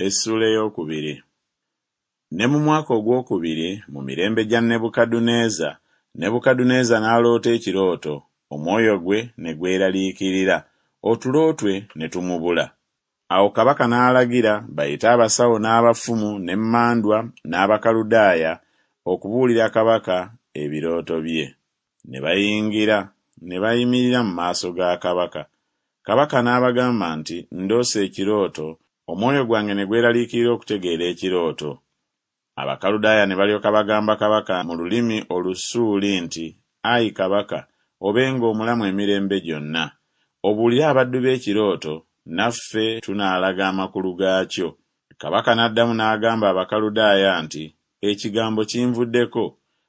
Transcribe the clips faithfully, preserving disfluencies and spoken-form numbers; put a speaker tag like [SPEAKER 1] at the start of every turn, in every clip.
[SPEAKER 1] Essuula ey'okubiri. Ne mu mwaka ogwokubiri mu mirembe gya Nebukadduneeza, Nebukadduneeza n'aloota ekirooto, omwoyo gwe ne gweraliikirira, otulo twe ne tumubula. Awo kabaka n'alagira bayite abasawo n'abafumu n'emmandwa n'Abakaludaaya okubuulira kabaka ebirooto bye. Ne bayingira ne bayimirira mu maaso ga kabaka. Kabaka n'abagamba nti, Ndoose ekirooto, omwoyo gwange ne gweraliikirira okutegeera ekirooto. Abakaludaaya ne balyoka bagamba kabaka mu lulimi Olusuuli nti, Ayi kabaka, obenga omulamu emirembe gyonna. Obuulire abaddu bo ekirooto, naffe tunaalaga amakulu gaakyo. Kabaka n'addamu n'agamba Abakaludaaya nti, Ekigambo kinvuddeko,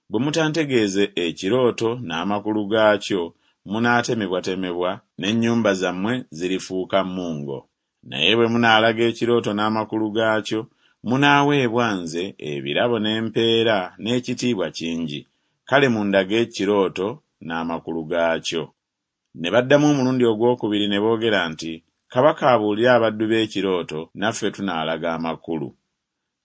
[SPEAKER 1] bwe mutantegeeze ekirooto n'amakulu gaakyo, munaatemebwatemebwa, n'ennyumba zammwe zirifuuka mmungo. Naye bwe munaalaga ekirooto n'amakulu gaakyo, munaaweebwa nze ebirabo n'empeera n'ekitiibwa kingi. Kale mundage ekirooto n'amakulu gaakyo. Ne baddamu omulundi ogwokubiri ne boogera nti, Kabaka abuulire abaddu be ekirooto, naffe tunaalaga amakulu.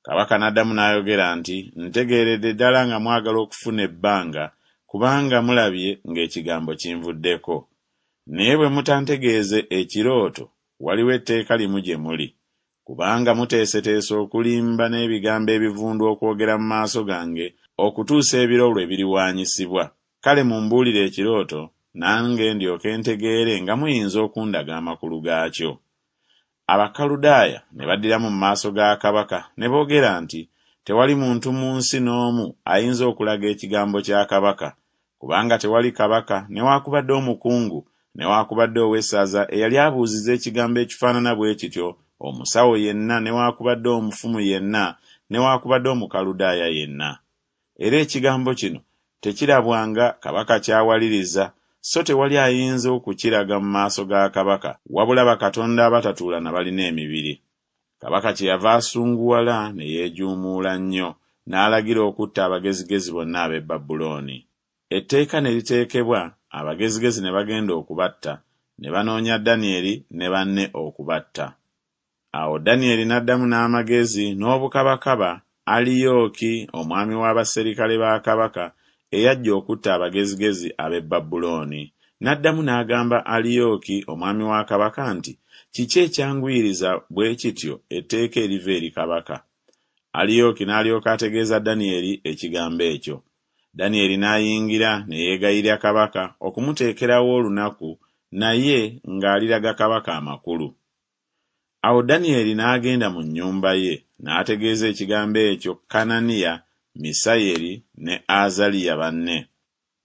[SPEAKER 1] Kabaka n'addamu n'ayogera nti, Ntegeeredde ddala nga mwagala okufuna ebbanga, kubanga mulabye ng'ekigambo kinvuddeko. Naye bwe mutantegeeze ekirooto, waliwo etteeka limu gye muli. Kubanga muteeseteese okulimba n'ebigambo ebivundu okwogera mu maaso gange okutuusa ebiro lwe biriwaanyisibwa. Kale mumbuulire ekirooto, nange ndyoke ntegeere nga muyinza okundaga amakulu gaakyo. Abakaludaaya ne baddiramu mu maaso ga kabaka ne boogera nti, Tewali muntu mu nsi n'omu ayinza okulaga ekigambo kya kabaka, kubanga tewali kabaka newaakubadde omukungu newaakubadde ow'essaza eyali abuuzizza ekigambo ekifaanana bwe kityo omusawo yenna newaakubadde omufumu yenna newaakubadde Omukaludaaya yenna. Era ekigambo kino tekirabwanga kabaka ky'awaliriza, so tewali ayinza okukiraga mu maaso ga kabaka, wabula bakatonda abatatuula na balina emibiri. Kabaka kyeyava asunguwala ne yeejuumuula nnyo, n'alagira okutta abagezigezi bonna ab'e Babulooni. Etteeka ne liteekebwa, abagezigezi ne bagenda okubatta, ne banoonya Danyeri ne banne okubatta. Awo Danyeri n'addamu n'amagezi n'obukabakaba Aliyooki omwami w'abaserikale ba kabaka eyajja okutta abagezigezi ab'e Babulooni. N'addamu n'agamba Aliyooki omwami wa kabaka nti, Kiki ekyanguyiriza bwe kityo etteeka eriva eri kabaka? Aliyooki n'alyoka ategeeza Danyeri ekigambo ekyo. Danyeri n'ayingira ne yeegayirira kabaka okumuteekerawo olunaku naye ng'aliraga kabaka amakulu. Awo Danyeri n'agenda mu nnyumba ye, n'ategeeza ekigambo ekyo Kananiya, Misayeri ne Azaliya banne.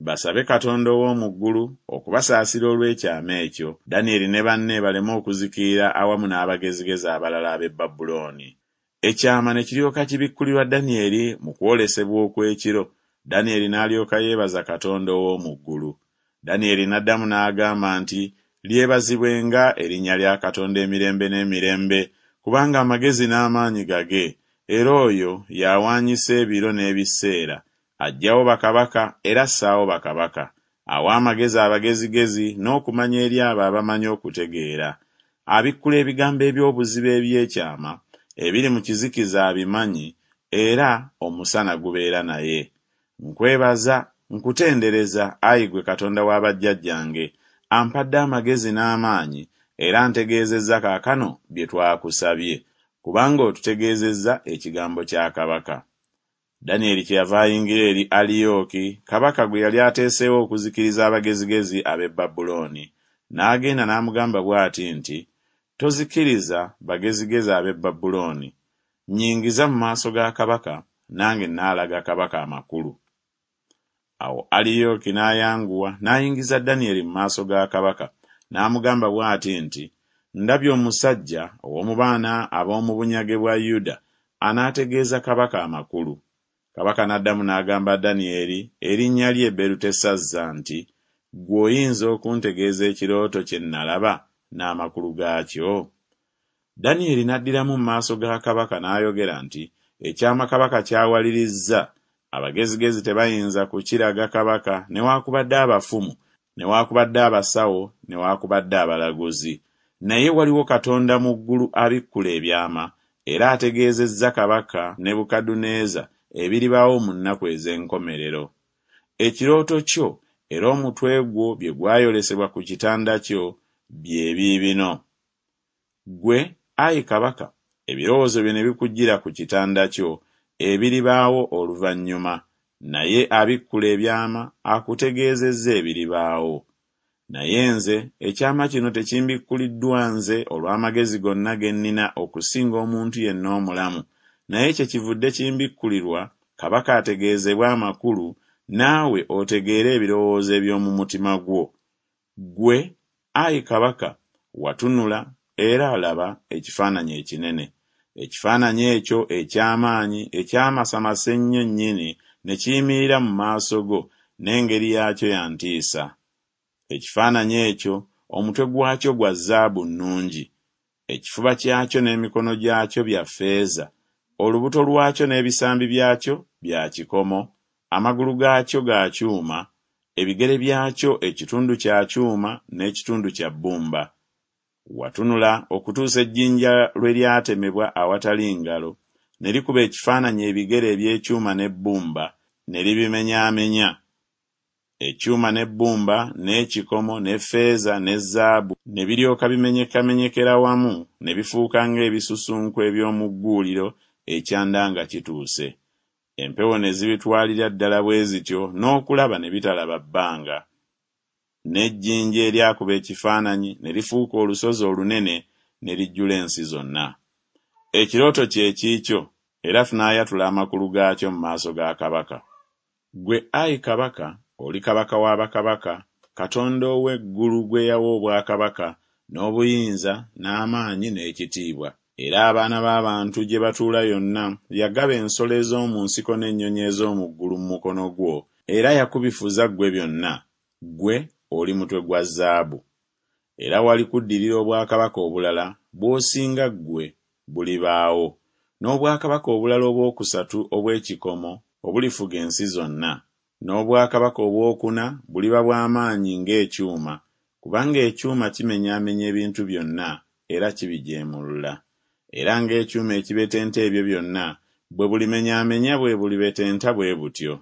[SPEAKER 1] Basabe Katonda ow'omu ggulu okubasaasira olw'ekyama ekyo, Danyeri ne banne baleme okuzikirira awamu n'abagezigezi abalala ab'e Babulooni. Ekyama ne kiryoka kibikkulirwa Danyeri mu kwolesebwa okw'ekiro, Danyeri n'alyoka yeebaza Katonda ow'omu ggulu. Danyeri n'addamu n'agamba nti, Lyebazibwenga erinnya lya Katonda emirembe n'emirembe, kubanga amagezi n'amaanyi gage, era oyo y'awaanyisa ebiro n'ebiseera, aggyawo bakabaka era assaawo bakabaka, awa amagezi abagezigezi n'okumanya eri abo abamanyi okutegeera. Abikkula ebigambo eby'obuziba eby'ekyama, ebiri mu kizikiza abimanyi, era omusana gubeera naye. Nkwebaza, nkutendereza, ayi ggwe Katonda wa bajjajjange, ampadde amagezi n'amaanyi, era antegeezezza kaakano bye twakusabye, kubanga otutegeezezza ekigambo kya kabaka. Danyeri kyeyava ayingira eri Aliyooki, kabaka gwe yali ateeseewo okuzikiriza abagezigezi ab'e Babulooni, n'agenda n'amugamba bw'ati nti, Tozikiriza bagezigezi ab'e Babulooni. Nnyingiza mu maaso ga kabaka, nange nnaalaga kabaka amakulu. Awo Aliyooki n'ayanguwa n'ayingiza Danyeri mu maaso ga kabaka, n'amugamba bw'ati nti, Ndabye omusajja ow'omu baana ab'omu bunyage bwa Yuda anaategeeza kabaka amakulu. Kabaka n'addamu n'agamba Danyeri erinnya lye Berutesazza nti, Ggwe oyinza okuntegeeza ekirooto kye nnalaba n'amakulu gaakyo? Danyeri n'addiramu mu maaso ga kabaka n'ayogera nti, Ekyama kabaka ky'awalirizza, abagezigezi tebayinza kukiraga kabaka newaakubadde abafumu, newaakubadde abasawo, newaakubadde abalaguzi. Naye waliwo Katonda mu ggulu abikkula ebyama, era ategeezezza kabaka Nebukadduneeza ebiribaawo mu nnaku ez'enkomerero. Ekirooto kyo era omutwe gwo bye gwayolesebwa ku kitanda kyo bye biibino. Ggwe, ayi kabaka, ebirowoozo byo ne bikujjira ku kitanda kyo ebiribaawo oluvannyuma, naye abikkula ebyama akutegeezezza ebiribaawo. Naye nze ekyama kino tekimbikkuliddwa nze olw'amagezi gonna ge nnina okusinga omuntu yenna omulamu, naye kyekivudde kimbikkulirwa kabaka ategeezebwe amakulu, naawe otegeere ebirowoozo eby'omu mutima gwo. Ggwe, ayi kabaka, watunula, era laba ekifaananyi ekinene. Ekifaananyi ekyo eky'amaanyi ekyamasamasa ennyo nnyini ne kiyimirira mu maaso go, n'engeri yaakyo ya ntiisa. Ekifaananyi ekyo omutwe gwakyo gwa zaabu nnungi, ekifuba kyakyo n'emikono gyakyo bya ffeeza, olubuto lwakyo n'ebisambi byakyo bya kikomo, amagulu gaakyo ga kyuma, ebigere byakyo ekitundu kya kyuma n'ekitundu kya bbumba. Watunula okutuusa ejjinja lwe lyatemebwa awatali ngalo, ne likuba ekifaananyi ebigere eby'ekyuma n'ebbumba, ne libimenyaamenya. Ekyuma n'ebbumba n'ekikomo ne ffeeza ne zaabu ne biryoka bimenyekamenyekera wamu ne bifuuka ng'ebisusunku eby'omu gguuliro ekyanda nga kituuse. Empewo ne zibitwalira ddala bwe zityo n'okulaba ne bitalaba bbanga. N'ejjinja eryakuba ekifaananyi ne lifuuka olusozi olunene ne lijjula ensi zonna. Ekirooto kye kiikyo, era tunaayatula amakulu gaakyo mu maaso ga kabaka. Ggwe ayi kabaka, oli kabaka wa bakabaka, Katonda ow'eggulu gwe yawa obwakabaka, n'obuyinza, n'amaanyi, n'ekitiibwa. Era abaana b'abantu gye batuula yonna yagaba ensolo ez'omu nsiko n'ennyonyi ez'omu ggulu mu mukono gwo, era yakubifuza ggwe byonna, ggwe oli mutwe gwa zaabu. Era walikuddirira obwakabaka obulala bw'osinga ggwe bulibaawo, n'obwakabaka obulala obwokusatu obw'ekikomo obulifuga ensi zonna. N'obwakabaka obwokuna buliba bwa maanyi ng'ekyuma, kubanga ekyuma kimenyaamenya ebintu byonna era kibijeemulula. Era ng'ekyuma ekibetenta ebyo byonna bwe bulimenyaamenya bwe bulibetenta bwe butyo.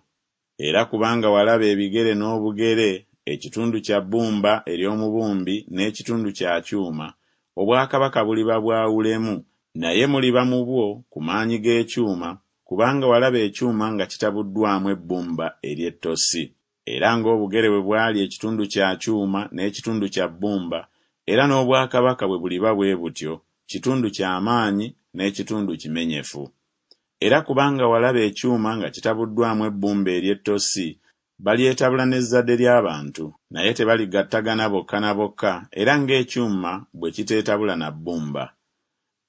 [SPEAKER 1] Era kubanga walaba ebigere n'obugere, ekitundu kya bbumba ery'omubumbi n'ekitundu kya kyuma, obwakabaka buliba bwawulemu, naye muliba mu bwo ku maanyi g'ekyuma, kubanga walaba ekyuma nga kitabuddwamu ebbumba ery'ettosi. Era ng'obugere bwe bwali ekitundu kya kyuma n'ekitundu kya bbumba, era n'obwakabaka bwe buliba bwe butyo, kitundu kya maanyi n'ekitundu kimenyefu. Era kubanga walaba ekyuma nga kitabuddwamu ebbumba ery'ettosi, balyetabula n'ezzadde ly'abantu, naye tebaligattagana bokka na bokka, era ng'ekyuma bwe kiteetabula na bbumba.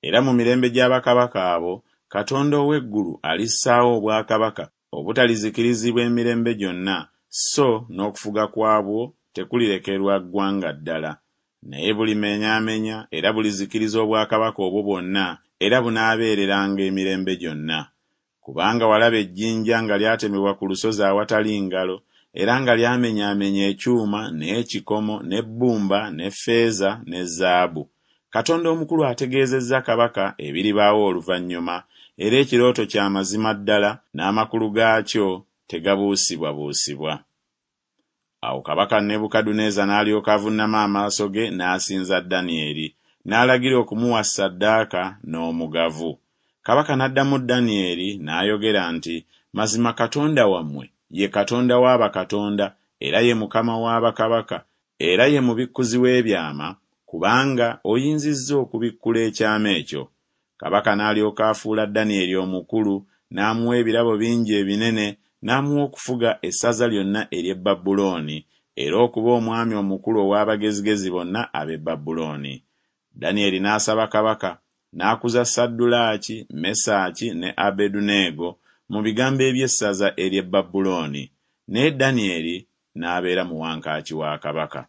[SPEAKER 1] Era mu mirembe gya bakabaka abo, Katonda ow'eggulu alissaawo obwakabaka obutalizikirizibwa emirembe gyonna, so n'okufuga kwabwo tekulirekerwa ggwanga ddala. Naye bulimenyaamenya era bulizikiriza obwakabaka obwo bwonna, era bunaabeereranga emirembe gyonna. Kubanga walaba ejjinja nga lyatemebwa ku lusozi awatali ngalo, era nga lyamenyaamenya ekyuma n'ekikomo n'ebbumba ne ffeeza ne zaabu. Katonda omukulu ategeezezza kabaka ebiribaawo oluvannyuma, era ekirooto kya mazima ddala, n'amakulu gaakyo tegabuusibwabuusibwa. Awo kabaka Nebukadduneeza n'alyoka avunnama amaaso ge n'asinza Danyeri, n'alagira okumuwa ssaddaaka n'omugavu. Kabaka n'addamu Danyeri n'ayogera nti, Mazima Katonda wammwe ye Katonda wa bakatonda, era ye Mukama wa bakabaka, era ye mubikkuzi w'ebyama, kubanga oyinzizza okubikkula ekyama ekyo. Kabaka n'alyoka afuula Danyeri omukulu, n'amuwa ebirabo bingi ebinene, n'amuwa okufuga essaza lyonna ery'e Babulooni, era okuba omwami omukulu ow'abagezigezi bonna ab'e Babulooni. Danyeri n'asaba kabaka, n'akuza Saddulaaki, Mesaki ne Abeduneego mu bigambo eby'essaza ery'e Babulooni, naye Danyeri n'abeera mu wankaaki wa kabaka.